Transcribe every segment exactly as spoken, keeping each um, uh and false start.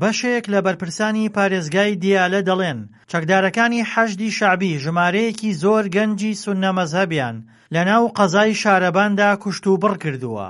بەشێک لە بەرپرسانی پارێزگای دیالە دەڵێن چەکدارەکانی حەشدی شەعبی ژمارەیەکی زۆر گەنجی سوننە مەزهەبیان لەناو قەزای شارەباندا کوشتوبڕ کردووە،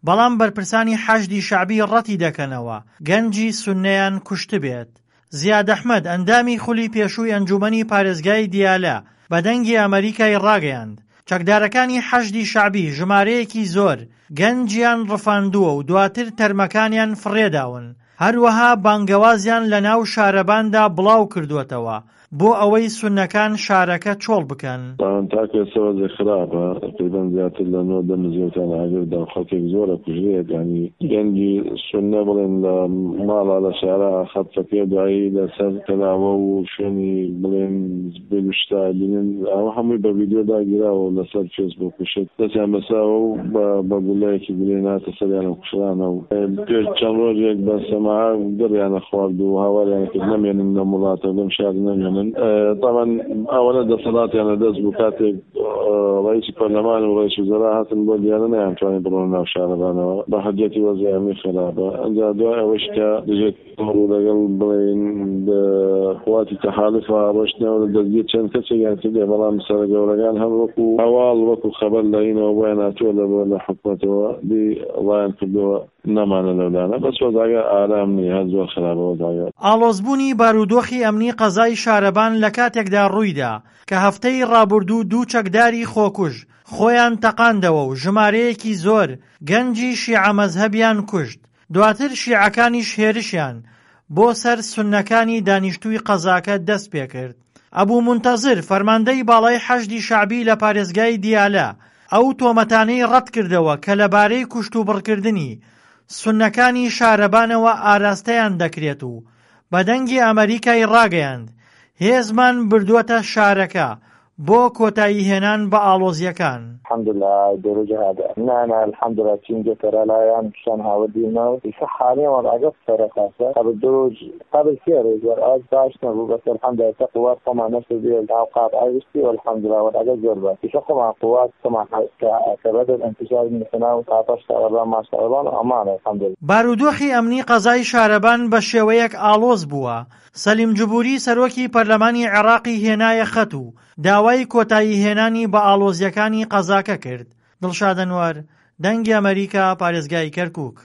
بەڵام بەرپرسانی حەشدی شەعبی ڕەتی دەکەنەوە گەنجی سوننەیان کوشتبێت. زیاد ئەحمەد ئەندامی خولی پێشووی ئەنجومەنی پارێزگای دیالە بە دەنگی ئەمەریکای ڕاگەیاند چەکدارەکانی حەشدی شەعبی ژمارەیەکی زۆر گەنجیان ڕفاندووە و دواتر تەرمەکانیان فڕێداون، هەروەها بانگەوازیان لەناو شارەباندا بڵاو کردووەتەوە بۆ ئەوەی سوننەکان شارەکە چۆڵ بکەن. تاوان تاکو ئێستا وەزع خراپە، تەقریبەن زیاتر لە نۆ دە مزگەوتیان ئاگر دا و خەڵکێک زۆر ئەکوژرێت، یانی گەنجی سوننە بڵێن لە ماڵا لە شارا خەتەکەی دوایی لەسەر کەلاوە و شوێنی بڵێن زبل و شتا ئەبینن، ئەوە هەمووی بە ڤیدیۆ داگیراوە و لەسەر فێسبووک و شت دەستیان بەسراوە و بە بە گولەیەکی گولەی ناتە سەریان و کوژرانە و پێش چەند ڕۆژێک بە سەماعە گڕیانە خوارد و هاواریان کرد نەمێنن لەم وڵاتە و لەم شارە نەمێنن. تەبعەن ئەوەنە دەسەڵاتیان لەدەست بوو کاتێک ڕئیسی پەرلەمان و ڕئیس وزەرا هاتن بۆ دیالە نەیانتوانی بڕۆنە ناو شارەبانەوە بە حجەتی وەزعی ئەمنی خراپە. ئینجا دوای ئەوەش کە دژە تیرۆر و لەگەڵ بڵێین قواتی تەحالفا ڕۆشتنەوە لە دەستگیر چەند کەسێکیان کردیە، بەڵام سەرە گەورەکان هەر وەکو هەواڵ وەکو خەبەر لە ئینەوە بۆیان هاتووە لە لە حکومەتەوە دی ڕایان کردووە نەمانە لەولانە، بەس وەزعەکە ئارام نیە، هەر زۆر خراپە وەزعەکە. ئاڵۆزبوونی بارودۆخی ئەمنی قەزای شارەبان لە کاتێکدا ڕوویدا کە هەفتەی ڕابوردوو دوو چەکداری خۆکوژ خۆیان تەقاندەوە و ژمارەیەکی زۆر گەنجی شیعە مەزهەبیان کوشت، دواتر شیعەکانیش هێرشیان بۆ سەر سوننەکانی دانیشتووی قەزاکە دەست پێکرد. ئەبو مونتەزر، فەرماندەی باڵای حەشدی شەعبی لە پارێزگای دیالە، ئەو تۆمەتانەی ڕەتکردەوە کە لەبارەی کوشتوبڕکردنی سوننەکانی شارەبانەوە ئاراستەیان دەکرێت و بە دەنگی ئەمەریکای ڕاگەیاند، هێزمان بردووەتە شارەکە بۆ کۆتاییهێنان بە ئاڵۆزییەکان. الحمدللە دروج هذا نانا الحمدللە تیم گەتەرە لایان شان هاوردیمە و ئیسە حالیان وەزعەگە فرە خاسە قبل دروج قبل سێ رووژ وەرئاز باش نەبوو بەس الحمدللە ئیسە قوات خوەمان نەشردیە ناو قات گشتی والحمدللە وەزعەگە زۆر باش ئیسە خوەمان قوات خوەمان کە بەدەل انتشار بینەسە ناو قاتەش شارەبان ما شارەبان و ئەمانە الحمدللە. بارودۆخی ئەمنی قەزای شارەبان بە شێوەیەک ئاڵۆز بووە، سەلیم جبوری سەرۆکی پەرلەمانی عێراقی هێنایە خەت و داوای کۆتاییهێنانی بە ئاڵۆزییەکانی قەزاکە کرد. دڵشاد ئەنوەر، دەنگی ئەمەریکا، پارێزگای کەرکوک.